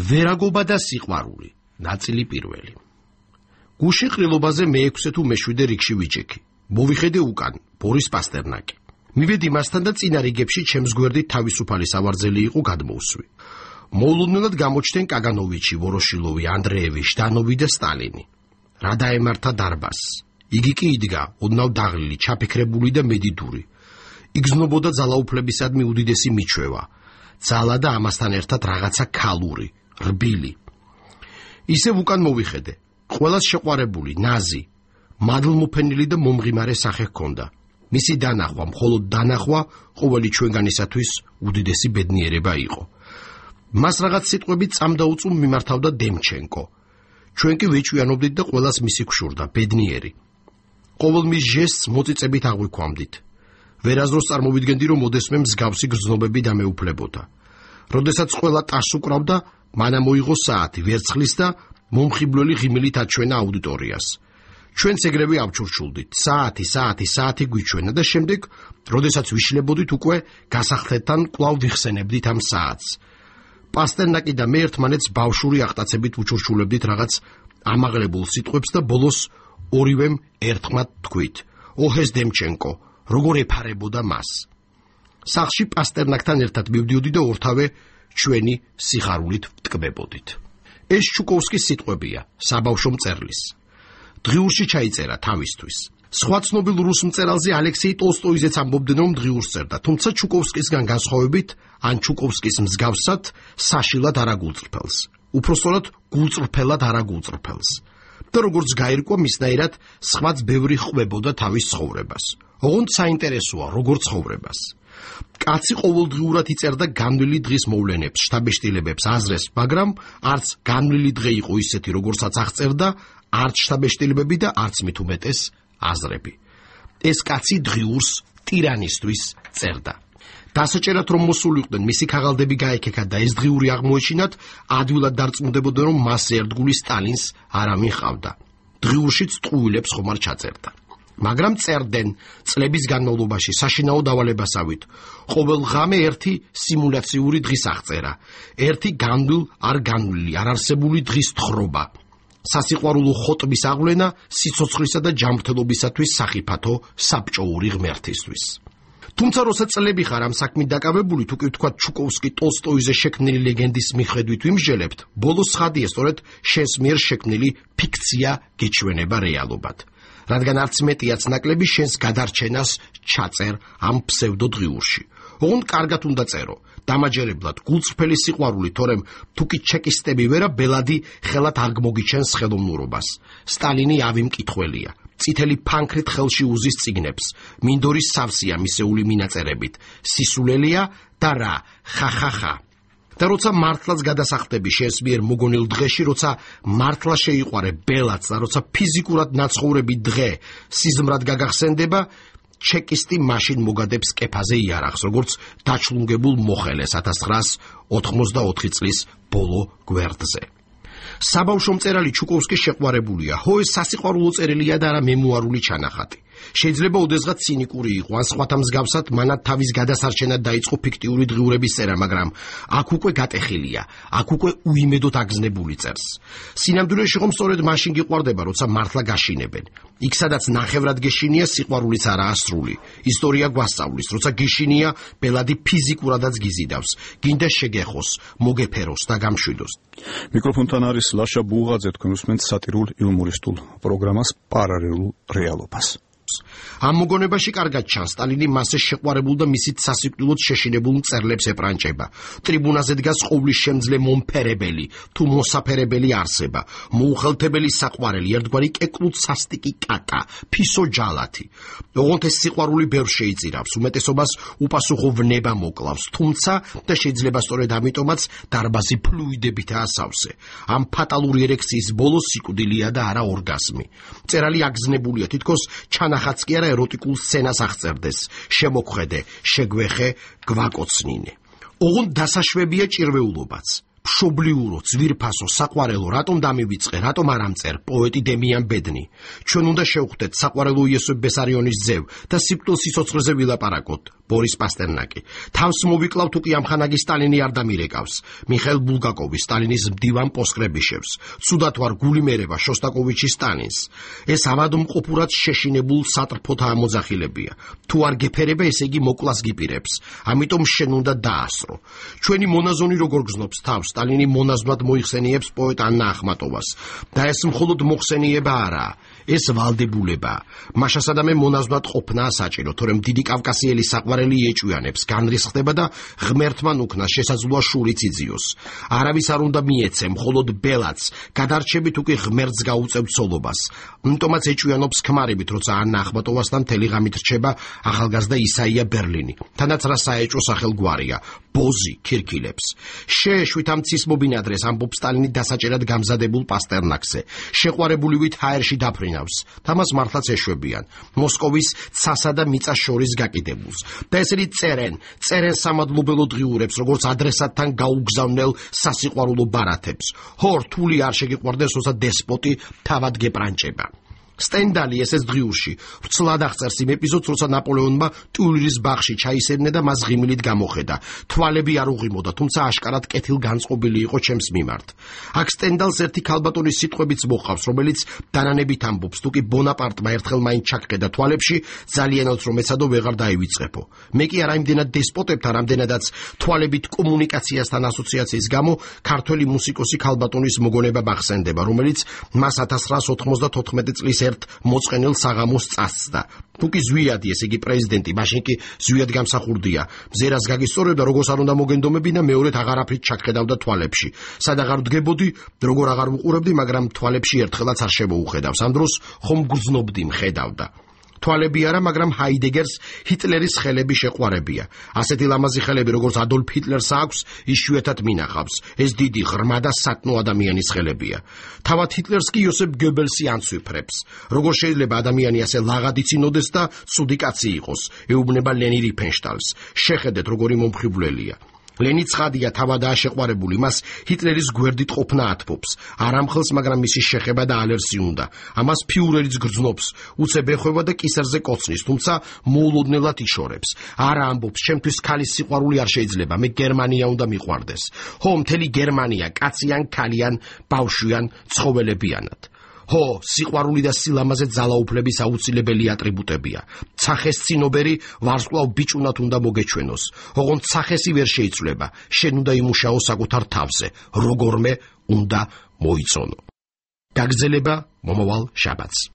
ვერაგობა და სიყვარული. ნაწილი პირველი. გუში ყრილობაზე მე-6 თუ მე-7 რიგში ვიჭექი. მოვიხედე უკან, ბორის პასტერნაკი. მივედი მასთან და წინა რიგებში ჩემს გვერდით თავისუფალი სავარძელი იყო გადმოუსვი. მოულოდნელად გამოჩნდნენ კაგანოვიჩი, ვოროშილოვი, ანდრეევი, ჟდანოვი და სტალინი. რა დაემართა დარბაზს. იგი კი იდგა, ოდნავ დაღლილი, ჩაფიქრებული და მედიდური. იგზნობოდა ძალაუფლებისადმი უდიდესი მიჩვევა. ძალა და ამასთან ერთად რაღაცა ქალური, რბილი. ისევ უკან მოვიხედე. ყველას შეყვარებული, ნაზი, მადლმოფენილი და მომღიმარე სახე ჰქონდა. მისი დანახვა, მხოლოდ დანახვა ყოველი ჩვენგანისათვის უდიდესი ბედნიერება იყო. მას რაღაც სიტყვებით წამდაუწუმ მიმართავდა დემჩენკო. ჩვენ კი ვეჭვიანობდით და ყველას მისი გშურდა, ბედნიერი. ყოველ მის ჟესტს მოწიწებით აღვიქვამდით. ვერაზროს წარმოვიდგენდი, რომ მოდესმე მსგავსი გრძნობები დამეუფლებოდა. როდესაც ყველა ტას უკრავდა, მანამ მოიღო საათი, ვერცხლის და მომხიბვლელი ღიმილით აჩვენა აუდიტორიას. ჩვენც ეგრევე ავჩურჩულდით, საათი გვიჩვენა და შემდეგ, როდესაც ვიშლებოდით უკვე გასახდეთთან კვლავ ვიხსენებდით ამ საათს. პასტერნაკი და მე ერთმანეთს ბავშვური აღტაცებით ვუჩურჩულებდით რაღაც ამაღლებულ სიტყვებს და ბოლოს ორივემ ერთხმად თქვით: ოჰეს დემჩენკო, როგორ ეფარებოდა მას. სახლში პასტერნაკთან ერთად მივდიოდი და ორთავე ჩვენი სიხარულით ვტკბებოდით. ეს ჩუკოვსკის სიტყვებია, საბავშვო მწერლის. დღიურში ჩაიწერა თავისთვის. სხვა ცნობილ რუს მწერალზე ალექსეი ტოლსტოიზეც ამბობდნენ, რომ დღიურს წერდა, თუმცა ჩუკოვსკისგან განსხვავებით, ან ჩუკოვსკის მსგავსად, საშილად არ აგულწრფელს. უпроსტოდ გულწრფელად არ აგულწრფელს. და როგორც გაირკვა, მისნაირად სხვაც ბევრი ხვებოდა თავის ცხოვრებას. ოღონდ საინტერესოა, როგორ ცხოვრებას. კაცი ყოველდღიურად იწერდა განვლილი დღის მოვლენებს, შთაბეჭდილებებს, აზრებს, მაგრამ არც განვლილი დღე იყო ისეთი, როგორცაც აღწერდა, არც შთაბეჭდილებები და არც მით უმეტეს აზრები. ეს კაცი დღიურს ტირანისთვის წერდა. დასაჭერად რომ მოსულიყვნენ, მისი ქაღალდები გაეკექა და ეს დღიური აღმოეჩინათ, ადვილად დარწმუნდებოდა, რომ მას ერთგული სტალინს არავინ ჰყავდა. დღიურშიც ტყუილებს ხომ არ ჩაწერდა. მაგრამ წერდნენ წლების განმავლობაში საშინაო დავალებასავით. ყოველ ღამე ერთი სიმულაციური დღის აღწერა, ერთი განვლილ არ განვლილი, არ არსებული დღის თხრობა. სასიყვარულო ხოტბის აღვლენა სიცოცხლისა და ჯანმრთელობისათვის სახიფათო საბჭოური ღმერთისთვის. თუმცა როცა წლები ხარ ამ საქმით დაკავებული, თუ კი ვთქვათ ჩუკოვსკი ტოლსტოიზე შექმნილი ლეგენდის მიხედვით ვიმსჯელებთ, ბოლოს ცხადია სწორედ შენს მიერ შექმნილი ფიქცია გეჩვენება რეალობად. რადგან არც მეტიაც ნაკლები შენს გადარჩენას ჩაწერ ამ ფსევდო დღიურში. ოღონდ კარგად უნდა წერო, დამაჯერებლად, გულწრფელი სიყვარული, თორემ თუ კი ჩეკისტები ვერა, ბელადი ხელად არ გმოგიჩენს ხელოვნურობას. სტალინი ავი მკითხველია. წითელი ფანქრით ხელში უზის წიგნებს, მინდორის სავსეა მისეული მინაწერებით, სისულელია და რა, ხახახა. და როცა მართლაც გადასახდები შენს მიერ მოგონილ დღეში, როცა მართლა შეიყვარე ბელადს და როცა ფიზიკურად ნაცხოვრები დღე სიზმრად გაგახსენდება, ჩეკისტი მაშინ მოგადებს კეფაზე იარაღს, როგორც დაჩლუნგებულ მოხელეს 1984 წლის ბოლო გვერდზე. საბავშვო მწერალი ჩუკოვსკი შეყვარებულია, ხო ეს სასიყვარულო წერილია და არა მემუარული ჩანახატი. შეიძლება ოდესღაც ცინიკური იყო, ან სხვათა მსგავსად მანად თავის გადასარჩენად დაიწყო ფიქტიური დღიურების წერა, მაგრამ აქ უკვე გატეხილია, აქ უკვე უიმედოდ აგზნებული წერს. სინამდვილეში ხომ სწორედ მაშინ გიყვარდება, როცა მართლა გაშინებენ. იქ სადაც ნახევრად გეშინია, სიყვარულიც არაა სრული. ისტორია გვასწავლის, როცა გეშინია, ბელადი ფიზიკურადაც გიზიდავს, გინდა შეგეხოს, მოგეფეროს და გამშვიდოს. მიკროფონთან არის ლაშა ბუღაძე, თქვენ უსმენთ სატირულ იუმორისტულ პროგრამას პარალელურ რეალობას. ამ მოგონებაში კარგად ჩანს, სტალინი მასზე შეყვარებულ და მისით სასიკვდილოდ შეშინებულ მწერლებს ეპრანჭება. ტრიბუნაზე დგას ყოვლის შემძლე მომფერებელი თუ მოსაფერებელი არსება, მოუხელთებელი საყვარელი, ერთგვარი კეკლუც სასტიკი კაკა, ფისო ჯალათი. ოღონდ ეს სიყვარული ბევრს შეიწირავს, უმეტესობას უპასუხო ვნება მოკლავს, თუმცა და შეიძლება სწორედ ამიტომაც დარბაზი ფლუიდებითაა სავსე. ამ ფატალური ერექციის ბოლო სიკვდილია და არა ორგაზმი. მწერალი აგზნებულია, თითქოს ჩანახაც კი არა ეროტიკულ სცენას აღწერდეს, შემოქმედე, შეგვეხე, გვაკოცნინე. ოღონდ დასაშვებია ჭირვეულობაც. მშობლიურო, ძვირფასო, საყვარელო, რატომ დამივიწყე, რატომ არ ამწერ, პოეტი დემიან ბედნი. ჩვენ უნდა შევხვდეთ საყვარელო იოსებ ბესარიონის ძევ და სიკვდილ სიცოცხლეზე ვილაპარაკოთ, ბორის პასტერნაკი. თავს მოვიკლავთ უკი ამხანაგი სტალინი არ დამირეკავს. მიხეილ ბულგაკოვი სტალინის მდივან პოსკრებიშევს. ცუდად ვარ გულიმერება შოსტაკოვიჩი სტალინს. ეს ავადმყოფურად შეშინებულ სატრფოთა ამოძახილებია. თუ არ გეფერება, ესე იგი მოკლას გიპირებს. ამიტომ შენ უნდა დაასრო. ჩვენი მონაზონი როგორ გზნობს თავს, სტალინი მონაზვნად მოიხსენიებს პოეტ ანნა ახმატოვას. და ეს მხოლოდ მოხსენიება არაა, ეს ვალდებულება. მაშასადამე მონაზვნად ყოფნა საჭირო, თორემ დიდი კავკასიელი საყვარელი ეჭვიანებს, განრისხდება და ღმერთმან უკნას შესაძლოა შურიც იძიოს. არავის არ უნდა მიეცე, მხოლოდ ბელაც, გადარჩებით უკვე ღმერთს გაუწევ ცოლობას. ამიტომაც ეჭვიანობს ქმარებით, როცა ანნა ახმატოვასთან მთელი ღამით რჩება ახალგაზრდა ისაია ბერლინი. თანაც რა საეჭვო სახელგვარია, ბოზი ქირქილებს. შეეშვით ამ ცის მობინადრეს, ამბობს სტალინი დასაჭერად გამზადებულ პასტერნაკზე. შეყვარებულივით ჰაერში დაფრინავს. თამას მართლაც ეშვებიან. მოსკოვის ცასა და მიწას შორის გაკიდებულს. და ესენი წერენ სამადლობელო დღიურებს, როგორც ადრესატთან გაუგზავნელ სასიყვარულო ბარათებს. ხო, რთული არ შეგიყვარდეს, როცა დესპოტი თავად გეპრანჭება. სტენდალი ესეც დღიურში ვრცლად აღწერს იმ ეპიზოდს, როცა ნაპოლეონმა ტიულრის ბაღში ჩაისერნა და მას ღიმილით გამოხედა. თვალები არ უღიმოდა, თუმცა აშკარად კეთილგანწყობილი იყო ჩემს მიმართ. აქ სტენდალს ერთი ქალბატონის სიტყვებიც მოჰყავს, რომელიც დანანებით ამბობს, თუ კი ბონაპარტმა ერთხელ მაინც ჩაგხედა თვალებში, ძალიანაც რომ ეცადო ვეღარ დაივიწყებო. მე კი არა იმდენად დესპოტებთან, რამდენადაც თვალებით კომუნიკაციასთან ასოციაციის გამო ქართველი მუსიკოსი ქალბატონის მოგონება მახსენდება, რომელიც მას 1994 წლის ერთ მოწყენილ საღამოს წასწდა. თუ კი ზვიადი, ესე იგი პრეზიდენტი, მაშინ კი ზვიად გამსახურდია. მზერას გაგისწორებდა, როგორც არ უნდა მოგენდომებინა, მეორედ აღარაფრით ჩაგხედავდა თვალებში. სად აღარ ვდგებოდი, როგორ აღარ ვუყურებდი, მაგრამ თვალებში ერთხელაც არ შემოუხედავს. ამ დროს ხომ გრძნობდი, მხედავდა. თვალები არა, მაგრამ ჰაიდეგერს ჰიტლერის ხელები შეყვარებია. ასეთი ლამაზი ხელები, როგორც ადოლფ ჰიტლერს აქვს, იშვიათად მინახავს. ეს დიდი, ღრმა და სათნო ადამიანის ხელებია. თავად ჰიტლერს კი იოსებ გებელსი ანცვიფრებს. როგორ შეიძლება ადამიანი ასე ლაღადი წინოდეს და ცუდი კაცი იყოს? ეუბნება ლენი რიფენშტალს. შეხედეთ, როგორი მომხიბვლელია. ლენი ცხადია, თავადაა შეყვარებული, მას ჰიტლერის გვერდით ყოფნა ათბობს. არ ამხელს, მაგრამ მისი შეხება და ალერსი უნდა. ამას ფიურერიც გრძნობს, უცებ ეხება და კისერზე კოცნის, თუმცა მოულოდნელად იშორებს. არა ამბობს, ჩემთვის ქალის სიყვარული არ შეიძლება, მე გერმანია უნდა მიყვარდეს. ხო, მთელი გერმანია, კაციან, ქალიან, ბავშვიან, ცხოველებიანად. ხო, სიყვარული და სილამაზე ძალაუფლების აუცილებელი ატრიბუტებია. ცახეს წინობერი ვარსკვლავ ბიჭუნად უნდა მოგეჩვენოს. ოღონდ ცახესი ვერ შეიცვლება, შენ უნდა იმუშაო საკუთარ თავზე, როგორმე უნდა მოიწონო. გაგრძელება მომავალ შაბათს.